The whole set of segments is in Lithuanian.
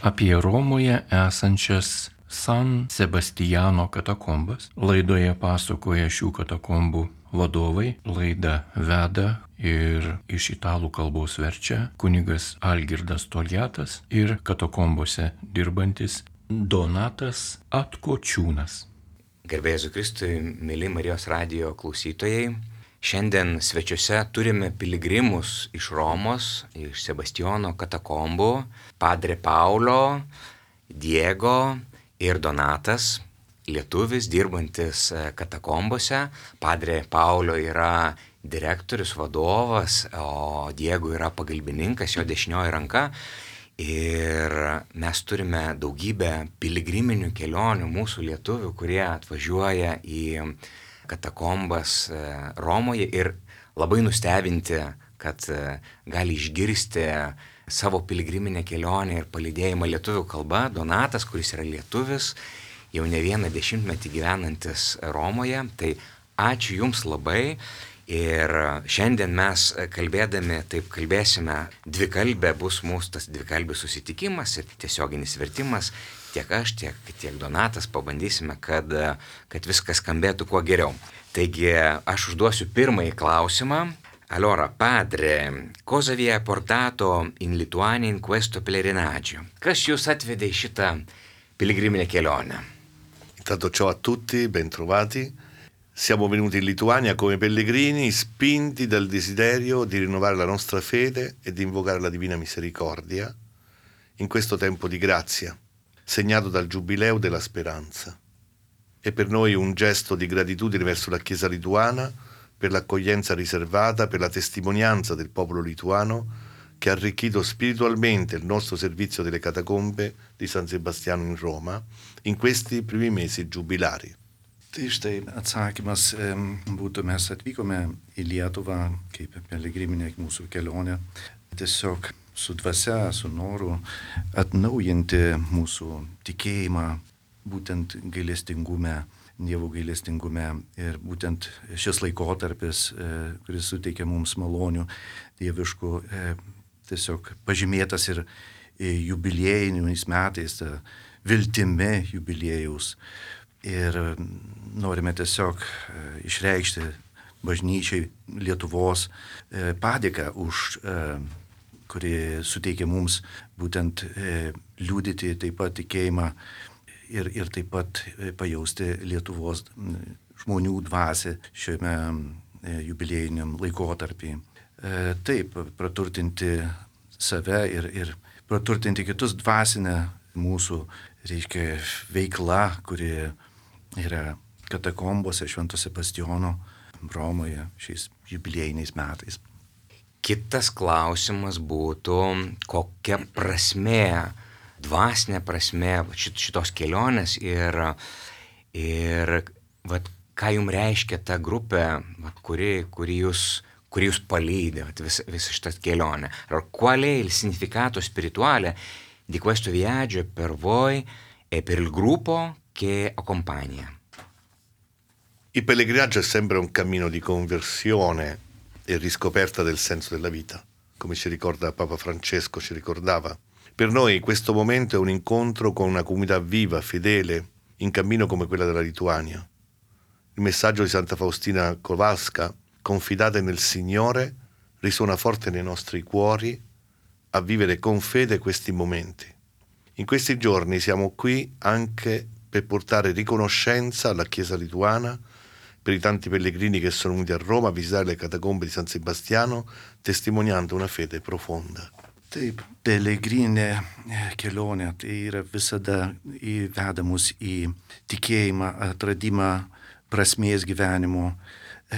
apie Romoje esančias San Sebastiano katakombas. Laidoje pasakoja šių katakombų vadovai. Laidą veda ir iš italų kalbos verčia kunigas Algirdas Toliatas ir katakombose dirbantis Donatas Atkočiūnas. Garbė Jėzui Kristui, mėly Marijos radijo klausytojai. Šiandien svečiuose turime piligrimus iš Romos, iš Sebastiano katakombų, Padre Paulo, Diego ir Donatas, lietuvis dirbantis katakombose. Padre Paulo yra direktorius, vadovas, o Diego yra pagalbininkas, jo dešinioji ranka. Ir mes turime daugybę piligriminių kelionių mūsų lietuvių, kurie atvažiuoja į katakombas Romoje ir labai nustebinti, kad gali išgirsti savo piligriminę kelionę ir palydėjimą lietuvių kalba. Donatas, kuris yra lietuvis, jau ne vieną dešimtmetį gyvenantis Romoje, tai ačiū Jums labai. Ir šiandien mes kalbėsime dvikalbė, bus mūsų tas dvikalbis susitikimas ir tiesioginis vertimas. Tiek aš, tiek Donatas pabandysime, kad viskas skambėtų kuo geriau. Taigi aš užduosiu pirmąjį klausimą. Allora, padre, cosa vi ha portato in Lituania in questo pellegrinaggio? Kas jūs atvedė į šitą piligriminę kelionę? Intanto ciao a tutti, bentrovati. Siamo venuti in Lituania come pellegrini spinti dal desiderio di rinnovare la nostra fede e di invocare la Divina Misericordia in questo tempo di grazia, segnato dal Giubileo della Speranza. È per noi un gesto di gratitudine verso la Chiesa lituana per l'accoglienza riservata, per la testimonianza del popolo lituano che ha arricchito spiritualmente il nostro servizio delle catacombe di San Sebastiano in Roma in questi primi mesi giubilari. Tai štai atsakymas būtų, mes atvykome į Lietuvą kaip piligriminė mūsų kelionė, tiesiog su dvasia, su noru atnaujinti mūsų tikėjimą, būtent gailestingume, Dievo gailestingume. Ir būtent šis laikotarpis, kuris suteikia mums malonių dieviškų, tiesiog pažymėtas ir jubiliejiniais metais, viltimi jubiliejaus. Ir norime tiesiog išreikšti bažnyčiai Lietuvos padėką, kuri suteikia mums būtent liudyti taip pat tikėjimą ir taip pat pajausti Lietuvos žmonių dvasią šiame jubiliejiniam laikotarpį. Taip, praturtinti save ir praturtinti kitus dvasinę mūsų, reiškia, veikla, kuri yra katakombose Švento Sebastiano Romoje šiais jubiliejiniais metais. Kitas klausimas būtų, kokia prasmė, dvasinė prasmė šitos kelionės ir ką jums reiškia ta grupė, kuri jūs palydė, visą šitą kelionę. Qual è il significato spirituale di questo viaggio per voi e per il gruppo che accompagna? Il pellegrinaggio è sempre un cammino di conversione e riscoperta del senso della vita, come ci ricorda Papa Francesco, ci ricordava. Per noi questo momento è un incontro con una comunità viva, fedele, in cammino come quella della Lituania. Il messaggio di Santa Faustina Kowalska, confidate nel Signore, risuona forte nei nostri cuori a vivere con fede questi momenti. In questi giorni siamo qui anche per portare riconoscenza alla Chiesa lituana, per i tanti pellegrini che sono venuti a Roma a visitare le catacombe di San Sebastiano, testimoniando una fede profonda. Taip, piligrinė kelionė tai yra visada įveda mus į tikėjimą, atradimą prasmės gyvenimo.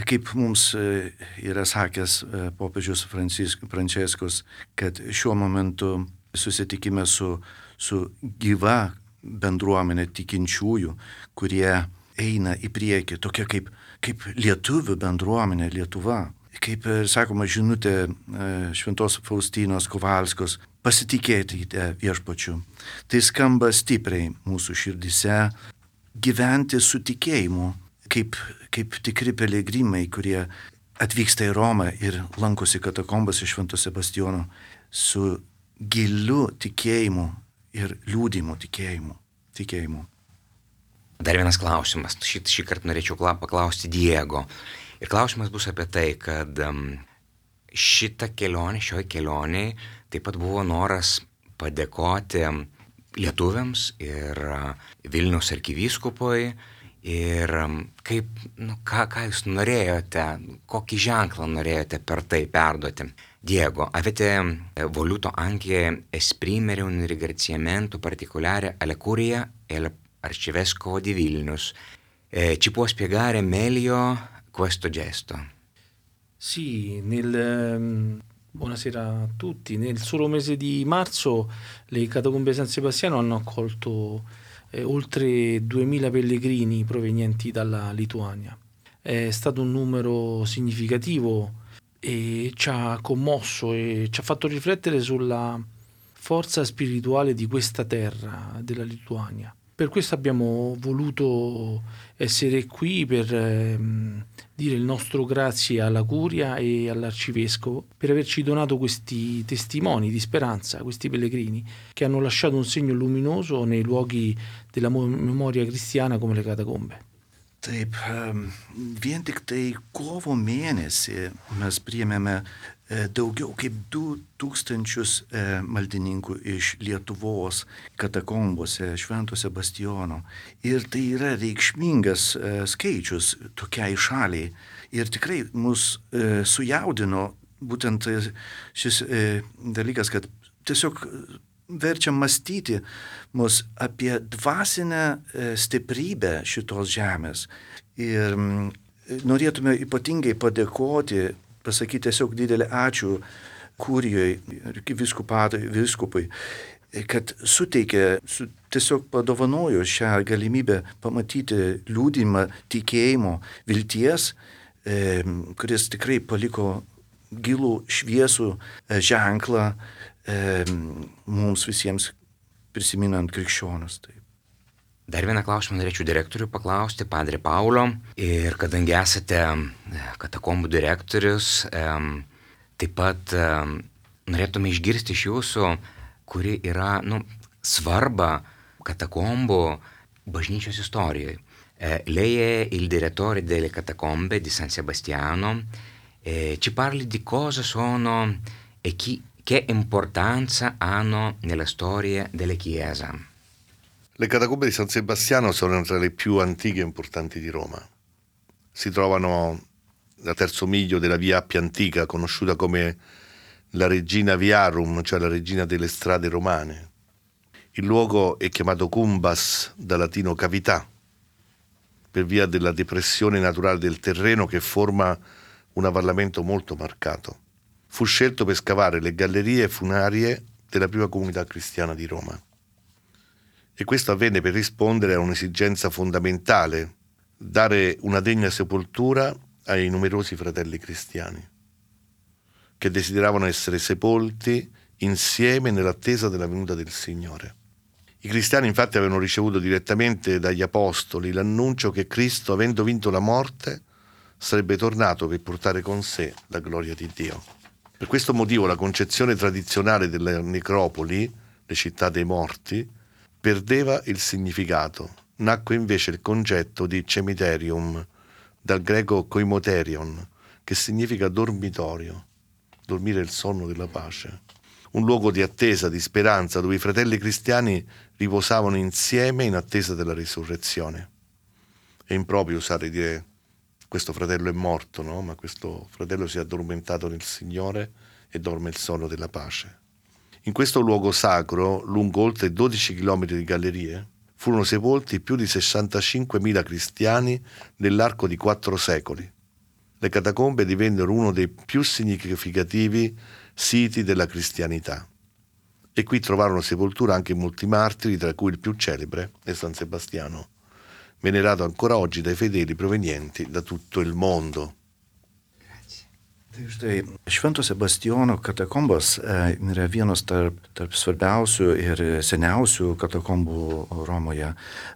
Kaip mums yra sakęs popiežius Pranciškus, kad šiuo momentu susitikime su gyva bendruomenė tikinčiųjų, kurie eina į priekį, tokia kaip lietuvių bendruomenė Lietuva. Kaip sakoma žinutė Šventos Faustinos Kowalskos, pasitikėkite viešpačiu. Tai skamba stipriai mūsų širdise, gyventi su tikėjimu, kaip tikri piligrimai, kurie atvyksta į Romą ir lankosi katakombose Švento Sebastiano su giliu tikėjimu ir liūdimu tikėjimu. Dar vienas klausimas. Šį kartą norėčiau paklausti Diego. Ir klausimas bus apie tai, kad šioje kelionėje taip pat buvo noras padėkoti lietuviams ir Vilniaus arkivyskupui. Ir ką jūs norėjote, kokį ženklą norėjote per tai perduoti? Diego, avete voluto anche esprimere un ringraziamento particolare alla curia e all'arcivescovo di Vilnius. Ci può spiegare meglio questo gesto? Sì, buonasera a tutti. Nel solo mese di marzo le catacombe di San Sebastiano hanno accolto oltre 2000 pellegrini provenienti dalla Lituania. È stato un numero significativo e ci ha commosso e ci ha fatto riflettere sulla forza spirituale di questa terra, della Lituania. Per questo abbiamo voluto essere qui per dire il nostro grazie alla Curia e all'Arcivescovo per averci donato questi testimoni di speranza, questi pellegrini che hanno lasciato un segno luminoso nei luoghi della memoria cristiana come le catacombe. Taip, vien tik tai kovo mėnesį mes priėmėme daugiau kaip 2000 maldininkų iš Lietuvos katakombose Švento Sebastijono. Ir tai yra reikšmingas skaičius tokiai šaliai. Ir tikrai mus sujaudino būtent šis dalykas, kad tiesiog verčia mąstyti mus apie dvasinę stiprybę šitos žemės. Ir norėtume ypatingai padėkoti, pasakyti tiesiog didelį ačiū Kurijai ir vyskupui, kad suteikė, tiesiog padovanojo šią galimybę pamatyti liūdimą tikėjimo, vilties, kuris tikrai paliko gilų šviesų ženklą mums visiems prisiminant krikščionus. Dar vieną klausimą norėčiau direktorių paklausti, Padre Paulo. Ir kadangi esate katakombų direktorius, taip pat norėtume išgirsti iš jūsų, kuri yra svarba katakombų bažnyčios istorijoje. Lei è il direttore delle catacombe di San Sebastiano. Ci parli di cosa sono e che importanza hanno nella storia della Chiesa? Le catacombe di San Sebastiano sono tra le più antiche e importanti di Roma. Si trovano al terzo miglio della via Appia Antica, conosciuta come la Regina Viarum, cioè la regina delle strade romane. Il luogo è chiamato Cumbas, da latino cavità, per via della depressione naturale del terreno che forma un avvallamento molto marcato. Fu scelto per scavare le gallerie funerarie della prima comunità cristiana di Roma. E questo avvenne per rispondere a un'esigenza fondamentale, dare una degna sepoltura ai numerosi fratelli cristiani, che desideravano essere sepolti insieme nell'attesa della venuta del Signore. I cristiani infatti avevano ricevuto direttamente dagli apostoli l'annuncio che Cristo, avendo vinto la morte, sarebbe tornato per portare con sé la gloria di Dio. Per questo motivo la concezione tradizionale delle necropoli, le città dei morti, perdeva il significato. Nacque invece il concetto di cemiterium, dal greco koimoterion, che significa dormitorio, dormire il sonno della pace. Un luogo di attesa, di speranza, dove i fratelli cristiani riposavano insieme in attesa della risurrezione. È improprio usare dire questo fratello è morto, no? Ma questo fratello si è addormentato nel Signore e dorme il sonno della pace. In questo luogo sacro, lungo oltre 12 chilometri di gallerie, furono sepolti più di 65.000 cristiani nell'arco di 4 secoli. Le catacombe divennero uno dei più significativi siti della cristianità. E qui trovarono sepoltura anche molti martiri, tra cui il più celebre è San Sebastiano, venerato ancora oggi dai fedeli provenienti da tutto il mondo. Tai štai Švento Sebastijono katakombos yra vienos tarp svarbiausių ir seniausių katakombų Romoje.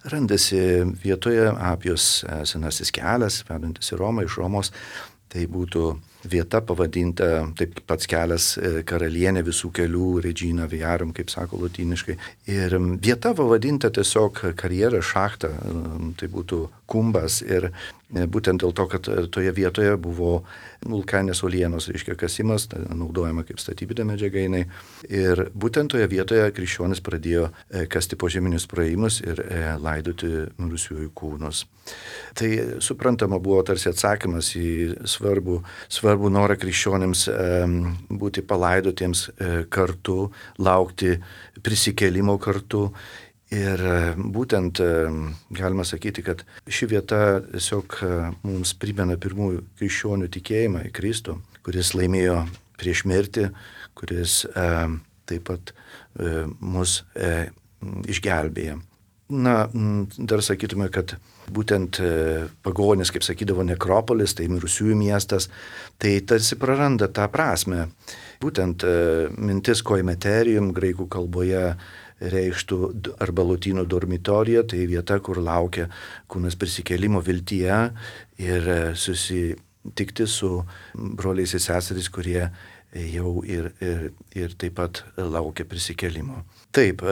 Randasi vietoje Apijos senasis kelias, vedantis į Romą iš Romos. Tai būtų vieta pavadinta, taip pats kelias karalienė visų kelių, Regina Viarum, kaip sako lotyniškai. Ir vieta pavadinta tiesiog karjera, šachta, tai būtų kumbas. Ir būtent dėl to, kad toje vietoje buvo vulkaninės uolienos, reiškia kasimas, naudojama kaip statybinė medžiaga jinai. Ir būtent toje vietoje krikščionis pradėjo kasti požeminius praėjimus ir laidoti mirusiųjų kūnus. Tai suprantama buvo tarsi atsakymas į svarbų norą krikščionims būti palaidotiems kartu, laukti prisikėlimo kartu. Ir būtent galima sakyti, kad ši vieta tiesiog mums primena pirmųjų krikščionių tikėjimą į Kristų, kuris laimėjo prieš mirtį, kuris taip pat mus išgelbėja. Na, dar sakytume, kad būtent pagonis, kaip sakydavo, nekropolis, tai mirusiųjų miestas, tai tarsi praranda tą prasme. Būtent mintis koimeterium graikų kalboje reikštų arba lotynų dormitorija, tai vieta, kur laukia kūnas prisikėlimo viltyje ir susitikti su broliais ir seserys, kurie jau ir taip pat laukia prisikėlimo. Taip,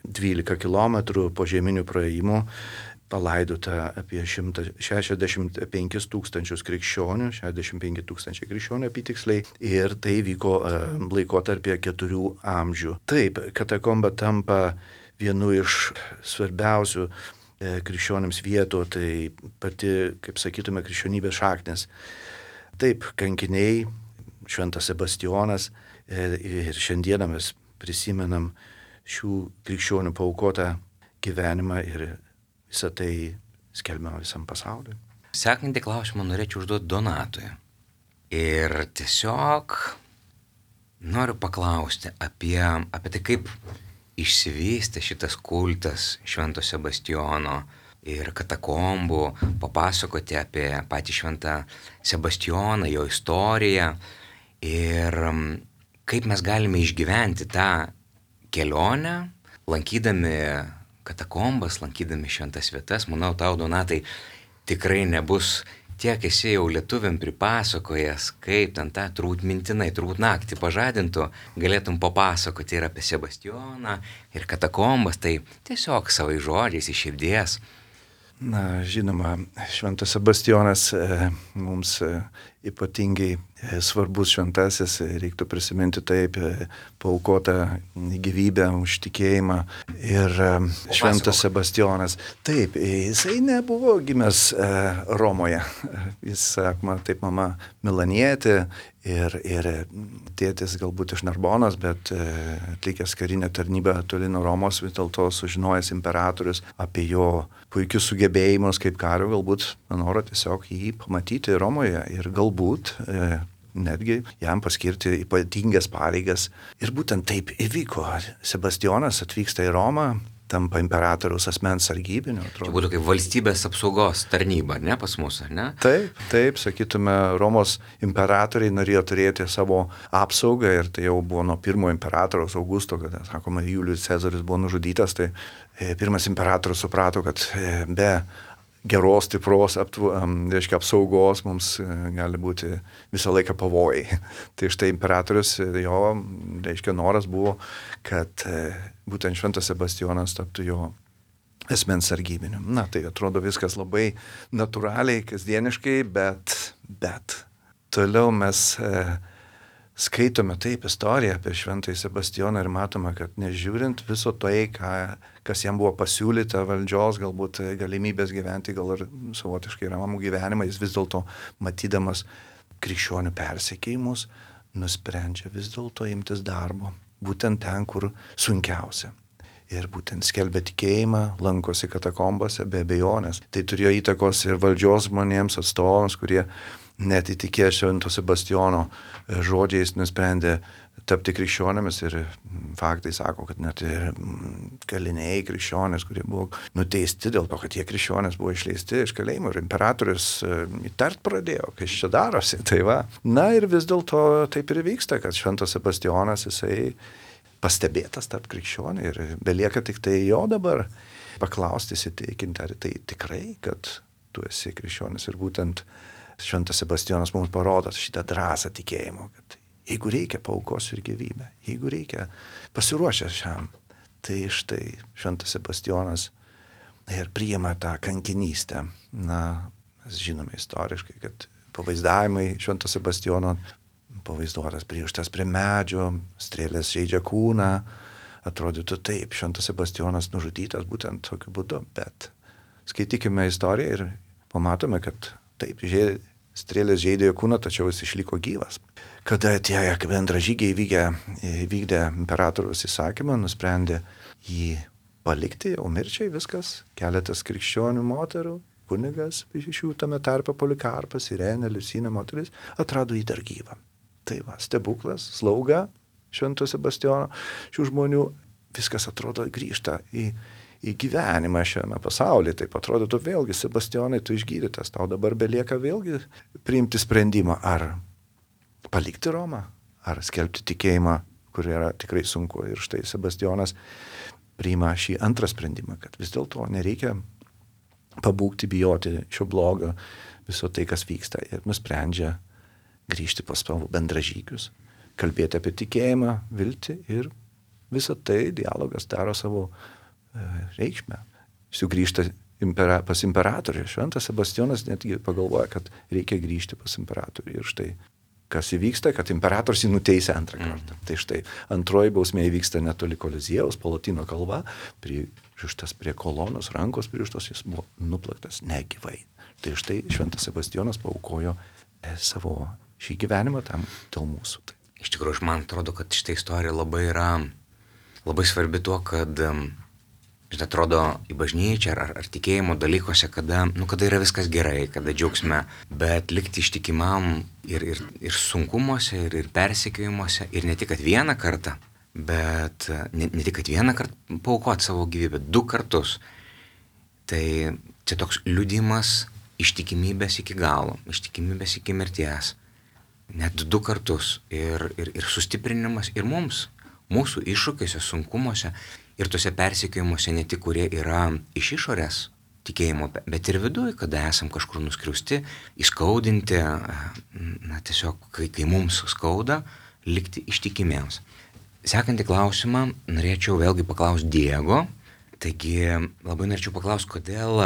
12 kilometrų požeminių praėjimų palaidota apie 165 tūkstančius krikščionių, 65 tūkstančiai krikščionių apytiksliai, ir tai vyko laikotarpyje 4 amžių. Taip, katakomba tampa vienu iš svarbiausių krikščionims vietų, tai pati, kaip sakytume, krikščionybės šaknis. Taip, kankiniai, Šventas Sebastionas, ir šiandieną mes prisimenam šių krikščionių paaukotą gyvenimą ir visą tai skelbiama visam pasauliu. Sekantį klausimą norėčiau užduoti Donatui. Ir tiesiog noriu paklausti apie tai, kaip išsivystė šitas kultas Švento Sebastiono ir katakombų, papasakoti apie patį Šventą Sebastioną, jo istoriją ir kaip mes galime išgyventi tą kelionę, lankydami katakombas, lankydami šventas vietas. Manau, tau, Donatai, tikrai nebus tiek esi jau lietuviam pripasakojęs, kaip ten tą turbūt mintinai, turbūt naktį pažadintų, galėtum papasakoti ir apie Sebastioną, ir katakombas, tai tiesiog savai žodžiais iš širdies. Na, žinoma, Šventas Sebastionas mums ypatingai svarbus šventasis, reiktų prisiminti taip, paaukotą gyvybę už tikėjimą. Ir Šventas Sebastionas, taip, jisai nebuvo gimęs Romoje. Jis, sakoma, taip, mama milanietė ir tėtis galbūt iš Narbonos, bet atlikęs karinę tarnybą toli nuo Romos, vis dėlto sužinojęs imperatorius apie jo puikius sugebėjimus kaip kario, galbūt noro tiesiog jį pamatyti Romoje ir galbūt netgi jam paskirti ypatingas pareigas. Ir būtent taip įvyko. Sebastionas atvyksta į Romą, tampa imperatoriaus asmens sargybiniu. Čia būtų kaip valstybės apsaugos tarnyba, ne, pas mus, ar ne? Taip, sakytume, Romos imperatoriai norėjo turėti savo apsaugą ir tai jau buvo nuo pirmojo imperatoriaus Augusto, kada, sakoma, Julijus Cezaris buvo nužudytas, tai pirmas imperatorius suprato, kad be geros, stipros reiškia, apsaugos mums gali būti visą laiką pavojai. Tai štai imperatorius, jo, reiškia, noras buvo, kad būtent Šventas Sebastionas taptų jo asmens sargybiniu. Na, tai atrodo viskas labai natūraliai, kasdieniškai, bet toliau mes skaitome taip istoriją apie Šventąjį Sebastioną ir matome, kad nežiūrint viso tai, kas jam buvo pasiūlyta valdžios, galbūt galimybės gyventi, gal ir savotiškai ramų gyvenimą, jis vis dėlto matydamas krikščionių persekėjimus, nusprendžia vis dėlto imtis darbo, būtent ten, kur sunkiausia. Ir būtent skelbia tikėjimą, lankosi katakombose be abejonės. Tai turėjo įtakos ir valdžios žmonėms, atstovams, kurie net įtikėję Švento Sebastiono žodžiais nusprendė tapti krikščionėmis ir faktai sako, kad net ir kaliniai krikščionės, kurie buvo nuteisti dėl to, kad jie krikščionės buvo išleisti iš kalėjimo ir imperatorius įtart pradėjo, kas čia darosi. Tai va. Na ir vis dėlto taip ir vyksta, kad Šventas Sebastionas jisai pastebėtas tarp krikščionių ir belieka tik tai jo dabar paklausti, įsitikinti, ar tai tikrai, kad tu esi krikščionis ir būtent Šventas Sebastijonas mums parodo šitą drąsą tikėjimo, kad jeigu reikia, paaukosiu ir gyvybę, jeigu reikia, pasiruošęs šiam. Tai štai Šventas Sebastijonas ir priima tą kankinystę. Na, mes žinome istoriškai, kad pavaizdavimai Švento Sebastijono pavaizduotas pririštas prie medžio, strėlės žeidžia kūną. Atrodytų taip, Šventas Sebastijonas nužudytas būtent tokiu būdu, bet skaitykime istoriją ir pamatome, kad taip, strėlės žeidė jo kūną, tačiau jis išliko gyvas. Kada tie bendražygiai vykdė imperatoriaus įsakymą, nusprendė jį palikti, o mirčiai viskas, keletas krikščionių moterų, kunigas, iš jų tame tarpe Polikarpas, Irenė, Liucinė moteris, atrado jį dar gyvą. Tai va, stebuklas, slauga Švento Sebastijono, šių žmonių, viskas atrodo grįžta į gyvenimą šiame pasaulyje. Taip atrodo, vėlgi, Sebastijonai, tu išgydytas, tau dabar belieka vėlgi priimti sprendimą, ar palikti Romą, ar skelbti tikėjimą, kur yra tikrai sunku. Ir štai Sebastijonas priima šį antrą sprendimą, kad vis dėlto nereikia pabūgti, bijoti šio blogo, viso tai, kas vyksta. Ir nusprendžia grįžti pas savo bendražygius, kalbėti apie tikėjimą, viltį ir visą tai dialogas daro savo reikšmę. Sugrįžta pas imperatorių. Šventas Sebastijonas netgi pagalvoja, kad reikia grįžti pas imperatorių. Ir štai, kas įvyksta, kad imperatorius jį nuteisė antrą kartą. Tai štai, antroji bausmė įvyksta netoli Koliziejaus, po Lotynų kalba, pririštas prie kolonos, rankos pririštos, jis buvo nuplaktas negyvai. Tai štai, Šventas Sebastijonas paaukojo savo šį gyvenimą tam dėl mūsų. Iš tikrųjų, man atrodo, kad šitą istoriją labai svarbi tuo, kad atrodo į bažnyčią ar tikėjimo dalykuose, kada yra viskas gerai, kada džiaugsme, bet likti ištikimam ir sunkumuose, ir persekiojimuose, ir ne tik kad vieną kartą, bet ne tik kad vieną kartą paaukoti savo gyvybę, 2 kartus. Tai čia toks liudijimas ištikimybės iki galo, ištikimybės iki mirties. Net 2 kartus ir sustiprinimas ir mums, mūsų iššūkiuose, sunkumuose ir tuose persekiojimuose ne tik, kurie yra iš išorės tikėjimo, bet ir viduje, kada esam kažkur nuskriausti, įskaudinti, tiesiog, kai mums skauda, likti ištikimiems. Sekantį klausimą norėčiau vėlgi paklausti Diego. Taigi labai norėčiau paklausti, kodėl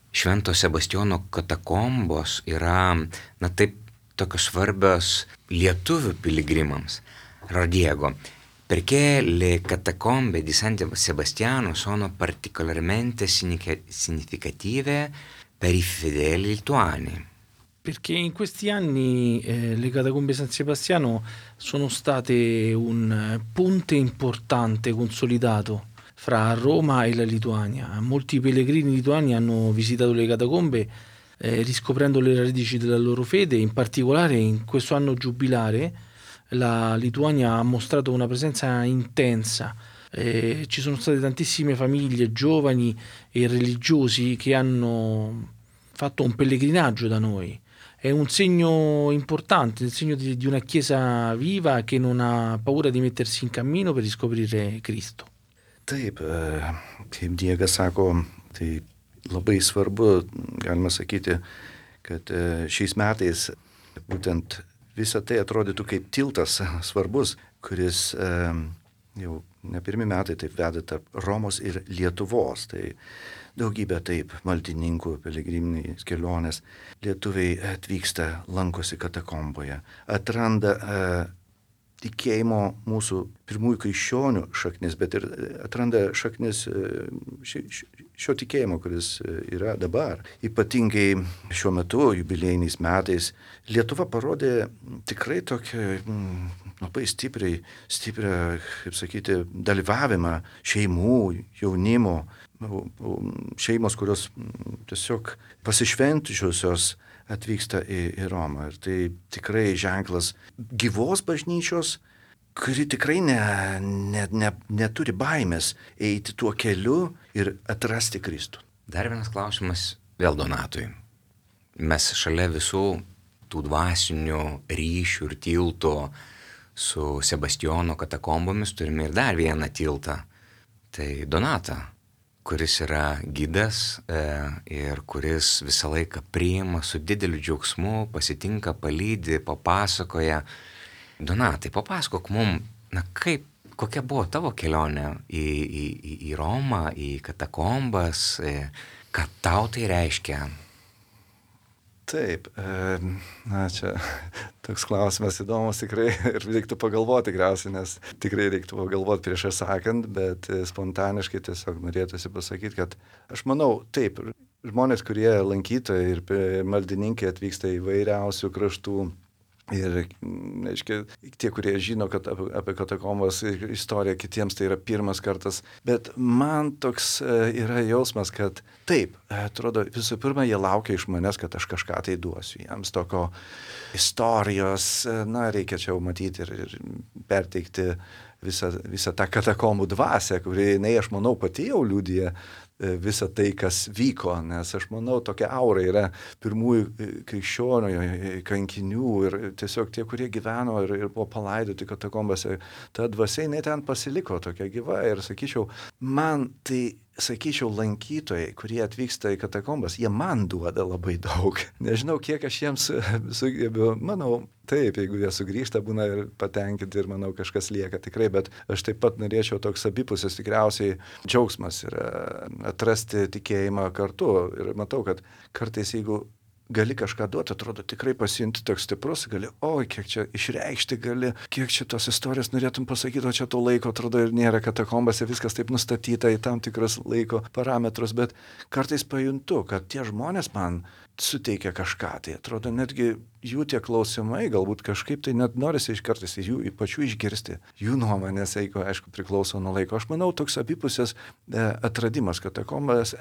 Švento Sebastijono katakombos yra, taip, tokios svarbios lietuvių piligrimams. Diego, perché le catacombe di San Sebastiano sono particolarmente significative per i fedeli lituani? Perché in questi anni le catacombe San Sebastiano sono state un ponte importante, consolidato fra Roma e la Lituania. Molti pellegrini lituani hanno visitato le catacombe riscoprendo le radici della loro fede. In particolare in questo anno giubilare la Lituania ha mostrato una presenza intensa. Ci sono state tantissime famiglie, giovani e religiosi che hanno fatto un pellegrinaggio da noi. È un segno importante, il segno di una chiesa viva che non ha paura di mettersi in cammino per riscoprire Cristo. Taip, kaip Diegas sako, tai labai svarbu, galima sakyti, kad šiais metais būtent visą tai atrodytų kaip tiltas svarbus, kuris jau ne pirmi metai taip veda tarp Romos ir Lietuvos. Tai daugybė taip maldininkų, piligriminės kelionės. Lietuviai atvyksta, lankosi katakomboje, atranda tikėjimo mūsų pirmųjų krikščionių šaknis, bet ir atranda šaknis šio tikėjimo, kuris yra dabar. Ypatingai šiuo metu, jubiliejiniais metais, Lietuva parodė tikrai tokią labai stiprią, kaip sakyti, dalyvavimą šeimų, jaunimo, šeimos, kurios tiesiog pasišventusios atvyksta į Romą. Ir tai tikrai ženklas gyvos bažnyčios, kuri tikrai neturi baimės eiti tuo keliu ir atrasti Kristų. Dar vienas klausimas vėl Donatui. Mes šalia visų tų dvasinių ryšių ir tiltų su Sebastijono katakombomis turime ir dar vieną tiltą. Tai Donata, kuris yra gidas ir kuris visą laiką priima su dideliu džiaugsmu, pasitinka, palydi, papasakoja. Donatai, papasakok mum, kokia buvo tavo kelionė į Romą, į katakombas, ką tau tai reiškia? Taip, čia toks klausimas įdomus tikrai ir reiktų pagalvoti tikriausiai, nes tikrai reiktų pagalvoti prieš sakant, bet spontaniškai tiesiog norėtųsi pasakyti, kad aš manau, taip, žmonės, kurie lankytojai ir maldininkai atvyksta į vairiausių kraštų. Ir, aiškiai, tie, kurie žino apie katakombos istoriją, kitiems tai yra pirmas kartas. Bet man toks yra jausmas, kad taip, atrodo, visų pirma, jie laukia iš manęs, kad aš kažką tai duosiu. Jiems tokio istorijos, reikia čia jau matyti ir perteikti visą tą katakombų dvasią, kuri, aš manau, pati jau liudija visą tai, kas vyko, nes aš manau, tokia aura yra pirmųjų krikščionių, kankinių ir tiesiog tie, kurie gyveno ir buvo palaidoti katakombose, ta dvasia, ten pasiliko tokia gyva ir sakyčiau, lankytojai, kurie atvyksta į katakombas, jie man duoda labai daug. Nežinau, kiek aš jiems sugebiu, manau, taip, jeigu jie sugrįžta, būna ir patenkinti ir manau, kažkas lieka tikrai, bet aš taip pat norėčiau toks abipusis tikriausiai džiaugsmas ir atrasti tikėjimą kartu. Ir matau, kad kartais, jeigu gali kažką duoti, atrodo tikrai pasijunti toks stiprus, gali, kiek čia išreikšti gali, kiek čia tos istorijos norėtum pasakyti, o čia to laiko, atrodo, ir nėra katakombose, viskas taip nustatyta į tam tikrus laiko parametrus, bet kartais pajuntu, kad tie žmonės man suteikia kažką, tai atrodo netgi jų tie klausimai, galbūt kažkaip tai net norisi kartais jų pačių išgirsti, jų nuomonės, aišku, priklauso nuo laiko. Aš manau, toks abipusės atradimas, katakombas,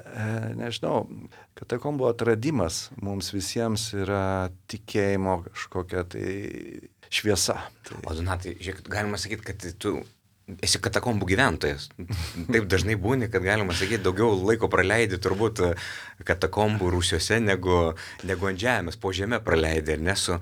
katakombų atradimas mums visiems yra tikėjimo kažkokia tai šviesa. O Donatai, žiūrėk, galima sakyti, kad tu esi katakombų gyventojas. Taip dažnai būni, kad galima sakyti, daugiau laiko praleidi turbūt katakombų rūsiuose negu ant žemės, po žemę praleidi, ar nesu.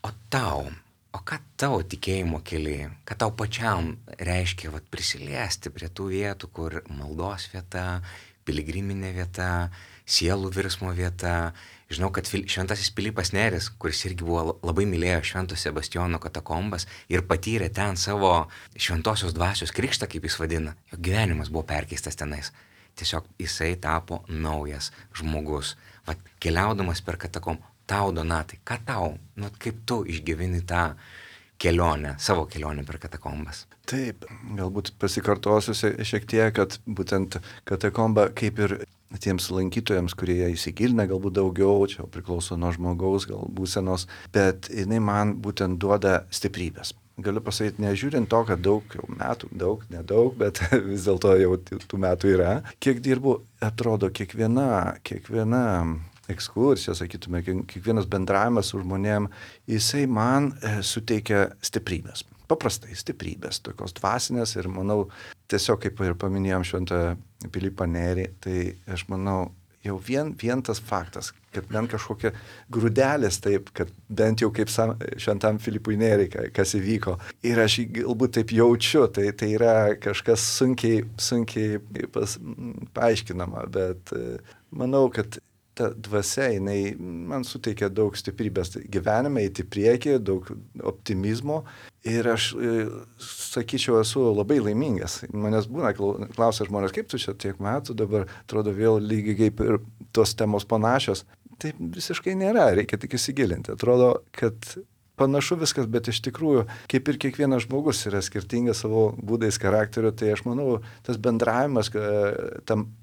O ką tavo tikėjimo kelyje, ką tau pačiam reiškia prisiliesti prie tų vietų, kur maldos vieta, piligriminė vieta, sielų virsmo vieta. Žinau, kad šventasis Pilypas Nėris, kuris irgi buvo labai mylėjo Švento Sebastijono katakombas ir patyrė ten savo šventosios dvasios krikštą, kaip jis vadina, jo gyvenimas buvo perkeistas tenais. Tiesiog jisai tapo naujas žmogus. Keliaudamas per katakombą, tau, Donatai, ką tau, kaip tu išgyveni tą kelionę, savo kelionę per katakombas? Taip, galbūt pasikartosiu šiek tiek, kad būtent katakomba kaip ir tiems lankytojams, kurie įsigilina galbūt daugiau, čia priklauso nuo žmogaus gal būsenos, bet jinai man būtent duoda stiprybės. Galiu pasakyti, nežiūrint to, kad daug, nedaug, bet vis dėlto jau tų metų yra. Kiek dirbu, atrodo, kiekviena ekskursija, sakytume, kiekvienas bendravimas su žmonėm, jisai man suteikia stiprybės. Paprastai stiprybės, tokios dvasinės ir manau, tiesiog kaip ir paminėjom Šventą Pilypą Nėrį, tai aš manau, jau vien tas faktas, kad bent kažkokia grūdelis taip, kad bent jau kaip Šventam Pilypui Nėriui, kas įvyko. Ir aš galbūt taip jaučiu, tai yra kažkas sunkiai paaiškinama, bet manau, kad ta dvasia, jinai man suteikia daug stiprybės gyvenime, eiti priekį, daug optimizmo ir aš, sakyčiau, esu labai laimingas. Manęs būna, klausia žmonės, kaip tu čia tiek metų, dabar atrodo vėl lygiai kaip ir tos temos panašios. Taip visiškai nėra, reikia tik įsigilinti. Atrodo, kad panašu viskas, bet iš tikrųjų, kaip ir kiekvienas žmogus yra skirtingas savo būdais charakteriu, tai aš manau, tas bendravimas,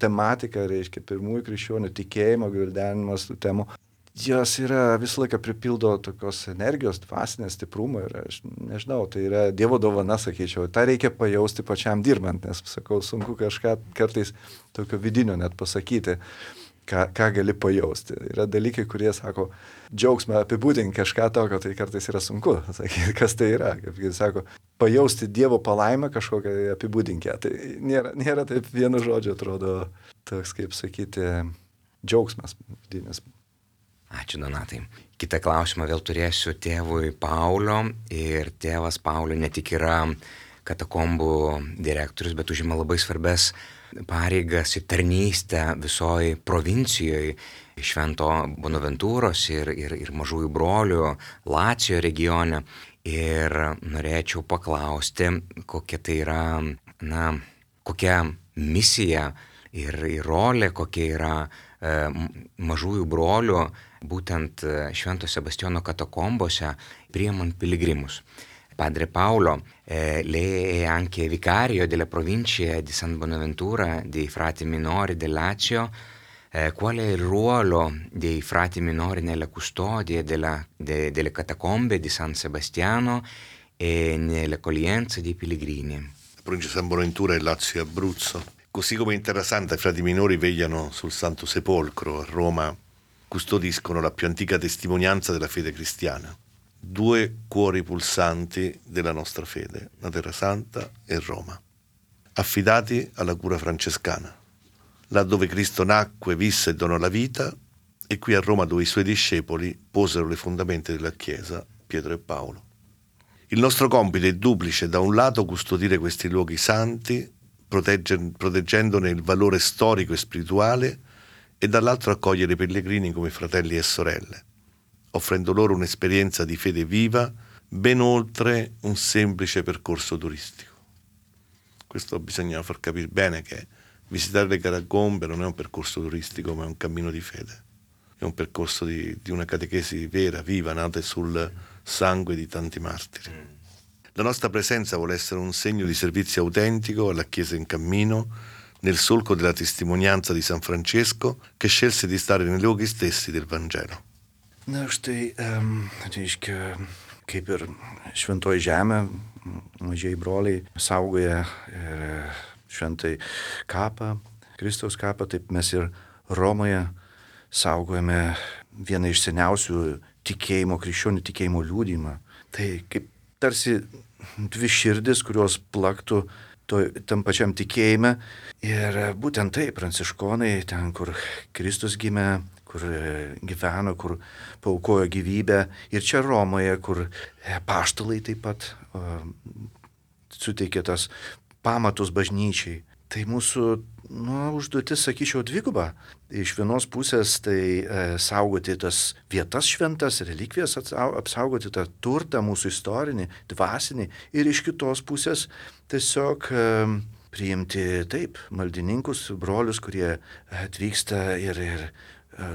tematika, reiškia, pirmųjų krikščionių tikėjimo, gvildenimas tų temų, jos yra visą laiką pripildo tokios energijos, dvasinės stiprumo ir aš nežinau, tai yra Dievo dovana, sakyčiau, tą reikia pajausti pačiam dirbant, nes, sakau, sunku kažką kartais tokio vidinio net pasakyti. Ką gali pajausti. Yra dalykai, kurie sako, džiaugsmą apibūdinti kažką tokio, tai kartais yra sunku sakyti, kas tai yra. Kaip jis sako, pajausti Dievo palaimą kažkokią apibūdinkę. Tai nėra taip vienu žodžiu, atrodo, toks, kaip sakyti, džiaugsmas vidinis. Ačiū, Donatai. Kitą klausimą vėl turėsiu tėvui Paulio ir tėvas Paulio ne tik yra katakombų direktorius, bet užima labai svarbes pareigas ir tarnystę visoje provincijoje Švento Bonaventūros ir Mažųjų Brolių Lacijo regione. Ir norėčiau paklausti, kokia tai yra, kokia misija ir rolė, kokia yra Mažųjų Brolių būtent Švento Sebastiano katakombose priimant piligrimus. Padre Paolo, lei è anche vicario della provincia di San Bonaventura dei frati minori del Lazio. Qual è il ruolo dei frati minori nella custodia delle catacombe di San Sebastiano e nell'accoglienza dei pellegrini? La provincia di San Bonaventura è Lazio e Abruzzo. Così come in Terra Santa i frati minori vegliano sul Santo Sepolcro, a Roma custodiscono la più antica testimonianza della fede cristiana. 2 cuori pulsanti della nostra fede, la Terra Santa e Roma, affidati alla cura francescana, là dove Cristo nacque, visse e donò la vita, e qui a Roma dove i suoi discepoli posero le fondamenta della Chiesa, Pietro e Paolo. Il nostro compito è duplice: da un lato custodire questi luoghi santi, proteggendone il valore storico e spirituale, e dall'altro accogliere i pellegrini come fratelli e sorelle, offrendo loro un'esperienza di fede viva ben oltre un semplice percorso turistico. Questo bisogna far capire bene, che visitare le catacombe non è un percorso turistico, ma è un cammino di fede. È un percorso di una catechesi vera, viva, nata sul sangue di tanti martiri. La nostra presenza vuole essere un segno di servizio autentico alla Chiesa in cammino, nel solco della testimonianza di San Francesco, che scelse di stare nei luoghi stessi del Vangelo. Na štai, reiškia, kaip ir šventoji žemė, mažieji broliai saugoja ir šventai kapą, Kristaus kapą, taip mes ir Romoje saugojame vieną iš seniausių tikėjimo, krikščionių tikėjimo liudijimą. Tai kaip tarsi 2 širdis, kurios plaktų tam pačiam tikėjime. Ir būtent tai pranciškonai, ten kur Kristus gimė, kur gyveno, kur paaukojo gyvybę, ir čia Romoje, kur apaštalai taip pat suteikė tas pamatus bažnyčiai. Tai mūsų užduotis, sakyčiau, dviguba. Iš vienos pusės tai saugoti tas vietas šventas, relikvijas apsaugoti tą turtą mūsų istorinį, dvasinį, ir iš kitos pusės tiesiog priimti taip maldininkus, brolius, kurie atvyksta ir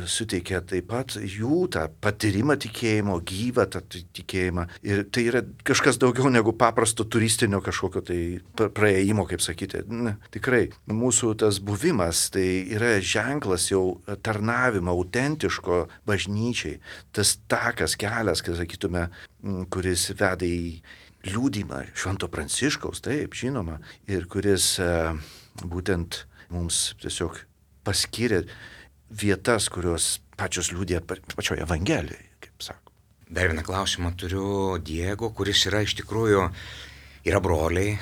suteikia taip pat jų tą patyrimą tikėjimo, gyvą tą tikėjimą. Ir tai yra kažkas daugiau negu paprasto turistinio kažkokio tai praėjimo, kaip sakyti. Ne, tikrai, mūsų tas buvimas tai yra ženklas jau tarnavimo autentiško bažnyčiai. Tas takas, kelias, kai sakytume, kuris veda į liudymą Švento Pranciškaus, taip, žinoma, ir kuris būtent mums tiesiog paskyrė vietas, kurios pačios liudija pačioje Evangelijoje, kaip sako. Dar vieną klausimą turiu Diego, kuris yra iš tikrųjų, yra broliai,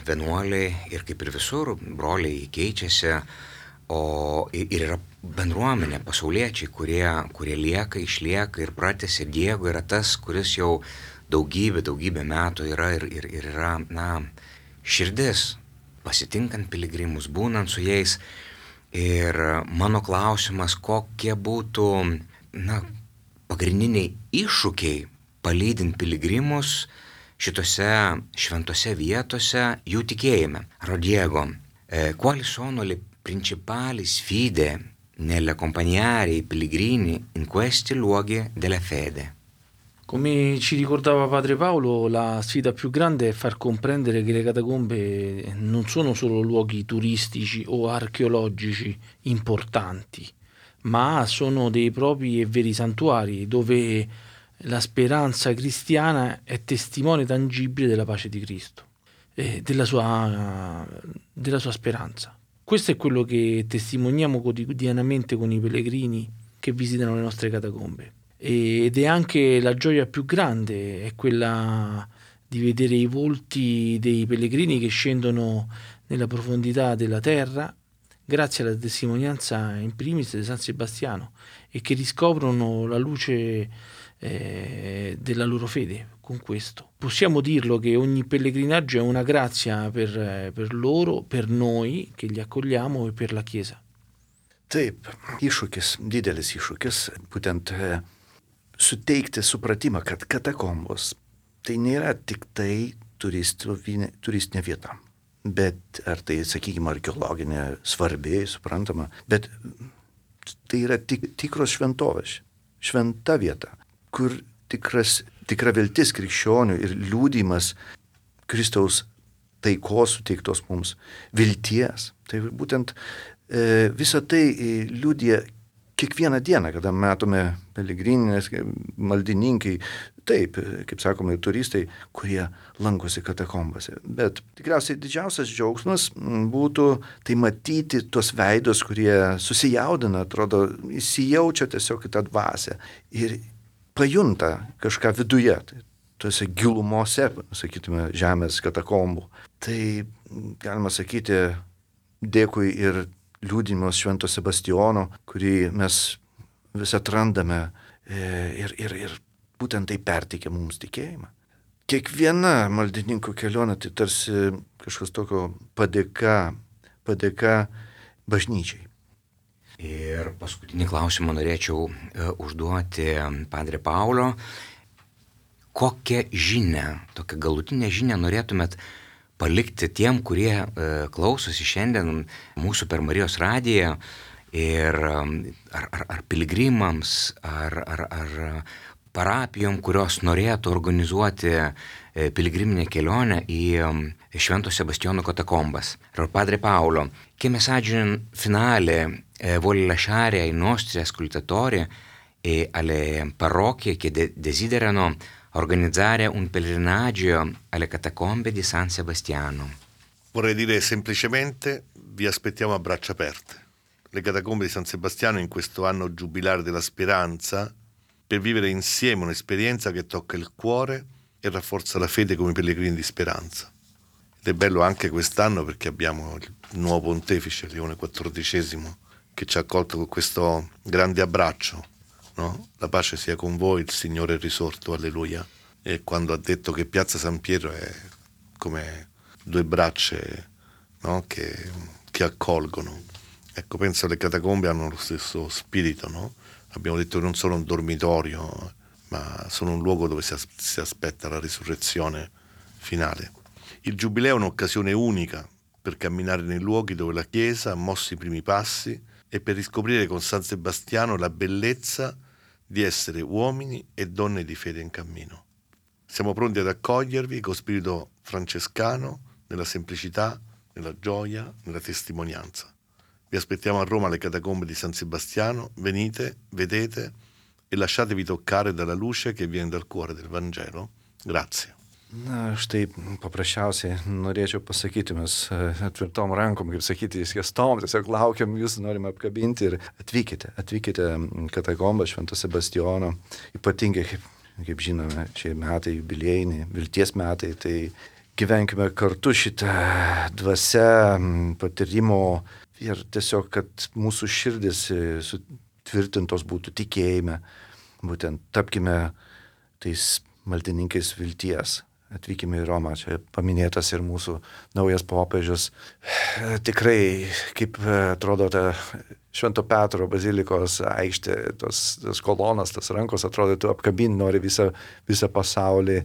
vienuoliai, ir kaip ir visur, broliai keičiasi, ir yra bendruomenė, pasauliečiai, kurie lieka, išlieka ir pratęsia. Diego yra tas, kuris jau daugybę metų yra ir yra, širdis, pasitinkant piligrimus, būnant su jais. Ir mano klausimas, kokie būtų, pagrindiniai iššūkiai palydint piligrimus šitose šventose vietose jų tikėjime. Diego, quali sono le principali sfide nell'accompagnare i pellegrini in questi luoghi della fede? Come ci ricordava Padre Paolo, la sfida più grande è far comprendere che le catacombe non sono solo luoghi turistici o archeologici importanti, ma sono dei propri e veri santuari dove la speranza cristiana è testimone tangibile della pace di Cristo e della sua speranza. Questo è quello che testimoniamo quotidianamente con i pellegrini che visitano le nostre catacombe. Ed è anche la gioia più grande, è quella di vedere i volti dei pellegrini che scendono nella profondità della terra grazie alla testimonianza in primis di San Sebastiano e che riscoprono la luce della loro fede con questo. Possiamo dirlo che ogni pellegrinaggio è una grazia per loro, per noi che li accogliamo e per la Chiesa. Taip, iššūkis, didelis iššūkis, būtent suteikti supratimą, kad katakombos tai nėra tik tai turistinė vieta, bet ar tai, sakykime, archeologinė, svarbi, suprantama, bet tai yra tikros šventovės, šventa vieta, kur tikra viltis krikščionių ir liudijimas Kristaus taikos suteiktos mums, vilties. Tai būtent visą tai liudija kiekvieną dieną, kada matome pelegrininės, maldininkai, taip, kaip sakome, turistai, kurie lankosi katakombose. Bet tikriausiai didžiausias džiaugsmas būtų tai matyti tuos veidus, kurie susijaudina, atrodo, įsijaučia tiesiog į tą dvasią ir pajunta kažką viduje, tuose gilumose, sakytume, žemės katakombų. Tai galima sakyti, dėkui ir liudijimas Švento Sebastijono, kurį mes vis atrandame ir būtent tai perteikia mums tikėjimą. Kiekviena maldininkų kelionė tai tarsi kažkas tokio padėka bažnyčiai. Ir paskutinį klausimą norėčiau užduoti Padre Paulo. Kokią žinią, tokią galutinę žinią norėtumėt palikti tiem, kurie klausosi šiandien mūsų per Marijos radiją ir ar piligrimams, ar parapijom, kurios norėtų organizuoti piligriminę kelionę į Švento Sebastiano katakombas. Padre Paolo, che messaggio finale vuole lasciare ai nostri ascoltatori e alle parrocchie che desiderano organizzare un pellegrinaggio alle catacombe di San Sebastiano? Vorrei dire semplicemente, vi aspettiamo a braccia aperte. Le catacombe di San Sebastiano in questo anno giubilare della speranza, per vivere insieme un'esperienza che tocca il cuore e rafforza la fede come pellegrini di speranza. Ed è bello anche quest'anno perché abbiamo il nuovo pontefice Leone XIV che ci ha accolto con questo grande abbraccio. No? La pace sia con voi, il Signore è risorto, alleluia. E quando ha detto che Piazza San Pietro è come due braccia, no? che accolgono. Ecco, penso che le catacombe hanno lo stesso spirito, no? Abbiamo detto che non sono un dormitorio, ma sono un luogo dove si aspetta la risurrezione finale. Il Giubileo è un'occasione unica per camminare nei luoghi dove la Chiesa ha mosso i primi passi e per riscoprire con San Sebastiano la bellezza di essere uomini e donne di fede in cammino. Siamo pronti ad accogliervi con spirito francescano, nella semplicità, nella gioia, nella testimonianza. Vi aspettiamo a Roma alle catacombe di San Sebastiano, venite, vedete e lasciatevi toccare dalla luce che viene dal cuore del Vangelo. Grazie. Na, štai paprasčiausiai norėčiau pasakyti, mes atvirtom rankom, kaip sakyti, įskestom, tiesiog laukiam, jūs norime apkabinti ir atvykite katakombą Švento Sebastijono, ypatingai, kaip žinome, šie metai jubiliejiniai, vilties metai, tai gyvenkime kartu šitą dvasią patyrimo ir tiesiog, kad mūsų širdis sutvirtintos būtų tikėjime, būtent tapkime tais maldininkais vilties. Atvykime į Romą, čia paminėtas ir mūsų naujas popiežius. Tikrai, kaip atrodo ta Švento Petro bazilikos aikštė, tos kolonas, tos rankos, atrodo, tu apkabinti nori visą pasaulį.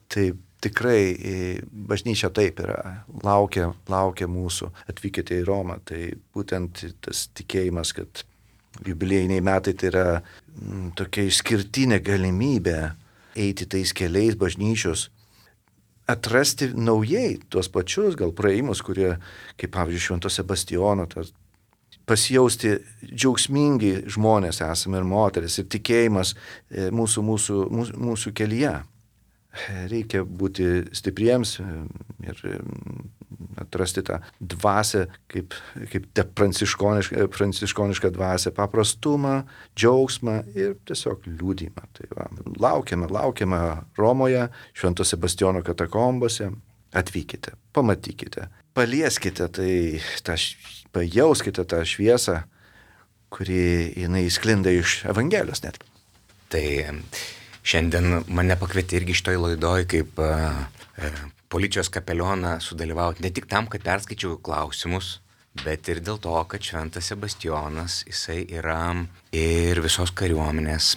Tai tikrai bažnyčia taip yra, laukia mūsų, atvykite į Romą. Tai būtent tas tikėjimas, kad jubiliejiniai metai tai yra tokia išskirtinė galimybė eiti tais keliais bažnyčios, atrasti naujai tuos pačius gal praėjimus, kurie, kaip pavyzdžiui, Švento Sebastijono, pasijausti džiaugsmingi žmonės esame ir moteris, ir tikėjimas mūsų kelyje. Reikia būti stipriems ir atrasti tą dvasią, kaip pranciškonišką dvasią, paprastumą, džiaugsmą ir tiesiog liudymą. Tai va, laukiame Romoje, Švento Sebastijono katakombose, atvykite, pamatykite, palieskite, pajauskite tą šviesą, kuri jinai sklinda iš Evangelijos net. Tai Šiandien mane pakvietė irgi šitoj laidoj kaip policijos kapelioną sudalyvauti ne tik tam, kad perskaičiau klausimus, bet ir dėl to, kad Šventas Sebastijonas, jisai yra ir visos kariuomenės,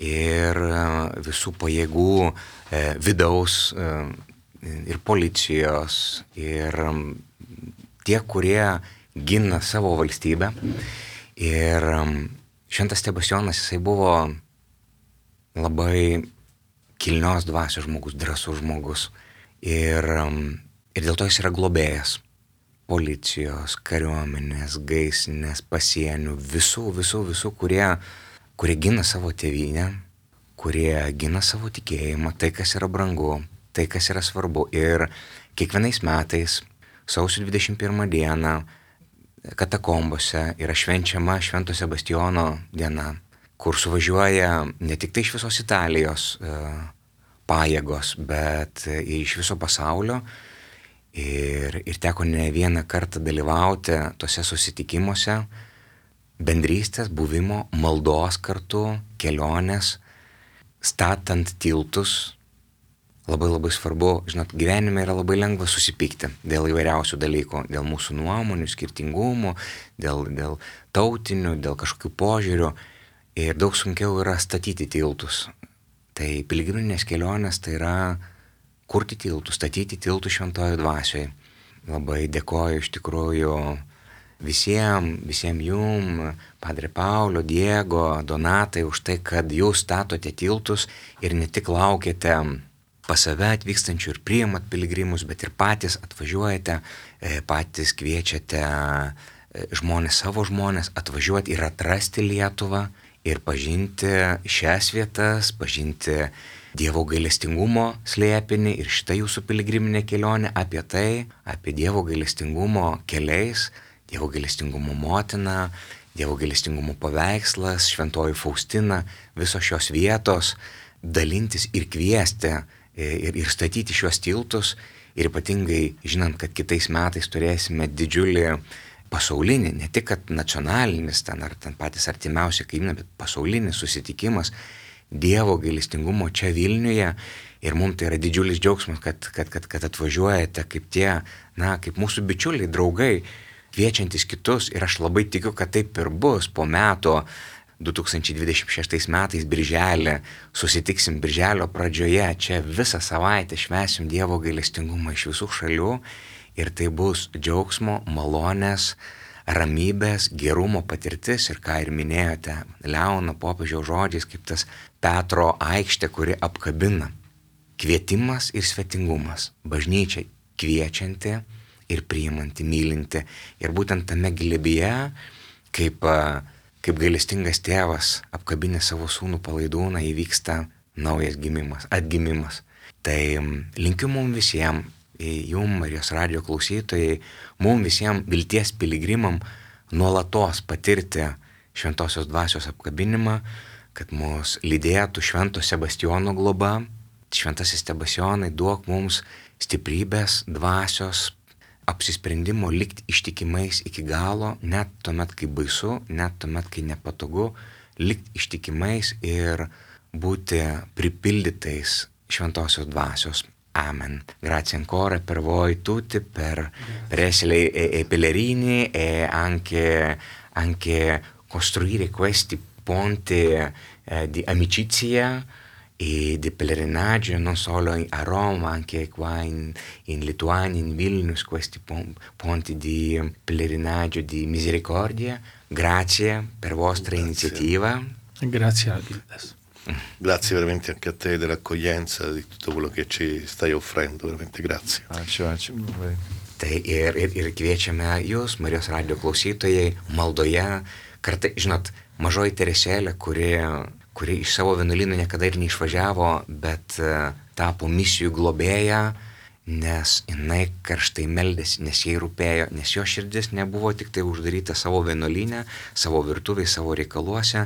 ir visų pajėgų vidaus, ir policijos, ir tie, kurie gina savo valstybę. Ir Šventas Sebastijonas, jisai buvo labai kilnios dvasios žmogus, drąsus žmogus. Ir dėl to jis yra globėjas policijos, kariuomenės, gaisrinės, pasienių, visų, kurie gina savo tėvynę, kurie gina savo tikėjimą, tai, kas yra brangu, tai, kas yra svarbu. Ir kiekvienais metais, sausio 21 dieną, katakombose yra švenčiama Švento Sebastijono diena, kur suvažiuoja ne tik tai iš visos Italijos pajėgos, bet iš viso pasaulio. Ir teko ne vieną kartą dalyvauti tose susitikimuose, bendrystės, buvimo, maldos kartu, kelionės, statant tiltus. Labai labai svarbu, žinot, gyvenime yra labai lengva susipykti dėl įvairiausių dalykų, dėl mūsų nuomonių, skirtingumų, dėl tautinių, dėl kažkokių požiūrių. Ir daug sunkiau yra statyti tiltus. Tai piligriminės kelionės tai yra kurti tiltus, statyti tiltus šventojo dvasioje. Labai dėkoju iš tikrųjų visiems jum, Padre Paulo, Diego, Donatai, už tai, kad jūs statote tiltus ir ne tik laukiate pas save atvykstančių ir priimat piligrimus, bet ir patys atvažiuojate, patys kviečiate savo žmonės atvažiuoti ir atrasti Lietuvą ir pažinti šias vietas, pažinti Dievo gailestingumo slėpinį ir šitą jūsų piligriminę kelionę apie tai, apie Dievo gailestingumo keliais, Dievo gailestingumo motina, Dievo gailestingumo paveikslas, Šventoji Faustina, visos šios vietos, dalintis ir kviesti ir statyti šios tiltus ir ypatingai žinant, kad kitais metais turėsime didžiulį pasaulinį, ne tik kad nacionalinis ten ar ten patys artimiausi kaimynai, bet pasaulinis susitikimas Dievo gailestingumo čia Vilniuje ir mums tai yra didžiulis džiaugsmas, kad atvažiuojate kaip tie, kaip mūsų bičiuliai, draugai, kviečiantis kitus ir aš labai tikiu, kad taip ir bus po metų 2026 metais birželį, susitiksim birželio pradžioje, čia visą savaitę švęsim Dievo gailestingumą iš visų šalių ir tai bus džiaugsmo, malonės, ramybės, gerumo patirtis ir ką ir minėjote, Leono popiežiaus žodžiais, kaip tas Petro aikštė, kuri apkabina. Kvietimas ir svetingumas, bažnyčia kviečianti ir priimanti, mylinti. Ir būtent tame glėbyje, kaip gailestingas tėvas apkabinė savo sūnų Palaidūną, įvyksta naujas gimimas, atgimimas. Tai linkiu mums visiems, jum, Marijos radijo klausytojai, mums visiems vilties piligrimam nuolatos patirti Šventosios dvasios apkabinimą, kad mus lydėtų Švento Sebastijono globa. Šventasis Sebastijonai, duok mums stiprybės, dvasios, apsisprendimo likti ištikimais iki galo, net tuomet, kai baisu, net tuomet, kai nepatogu, likti ištikimais ir būti pripildytais Šventosios dvasios. Amen. Grazie ancora per voi tutti per essere pellegrini e anche costruire questi ponti di amicizia e di pellegrinaggio non solo a Roma, anche qua in Lituania, in Vilnius, questi ponti di pellegrinaggio di misericordia. Grazie per vostra iniziativa. Grazie a Gildas. Grazie veramente anche a te dell'accoglienza, di tutto quello che ci stai offrendo, veramente grazie. Ačiū labai. Tai ir kviečiame jūs, Marijos radijo klausytojai, maldoje, kartai, žinot, mažoji Teresėlė, kuri iš savo vienuolynų niekada ir neišvažiavo, bet tapo misijų globėja, nes jinai karštai meldėsi, nes jai rūpėjo, nes jo širdis nebuvo tik tai uždaryta savo vienuolynę, savo virtuvėje, savo reikaluose,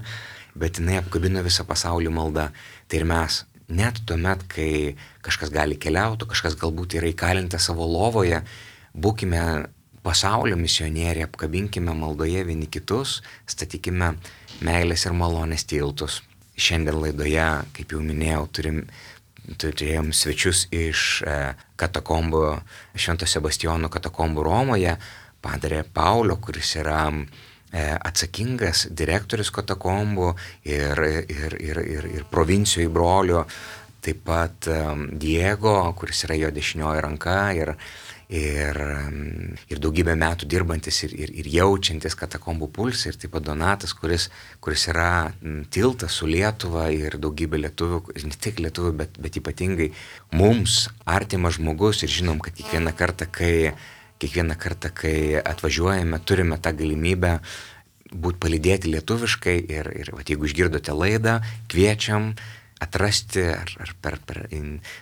bet jinai apkabino visą pasaulį maldą. Tai ir mes, net tuomet, kai kažkas gali keliauti, kažkas galbūt yra įkalinta savo lovoje, būkime pasaulio misionieriai, apkabinkime maldoje vieni kitus, statykime meilės ir malonės tiltus. šiandien laidoje, kaip jau minėjau, turėjom svečius iš katakombų, Švento Sebastijono katakombų Romoje, padre Paulo, kuris yra atsakingas direktorius katakombų ir provincijų brolių, taip pat Diego, kuris yra jo dešinioji ranka ir daugybę metų dirbantis ir jaučiantis katakombų pulsą, ir taip pat Donatas, kuris yra tiltas su Lietuva ir daugybė lietuvių, ne tik lietuvių, bet ypatingai mums artimas žmogus, ir žinom, kad kiekvieną kartą, kai atvažiuojame, turime tą galimybę būti palydėti lietuviškai ir jeigu išgirdote laidą, kviečiam atrasti ar per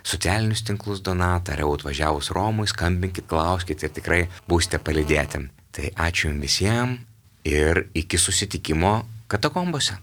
socialinius tinklus Donatą, ar jau atvažiavus Romui, skambinkit, klauskit ir tikrai būsite palydėti. Tai ačiū jums visiems ir iki susitikimo katakombose.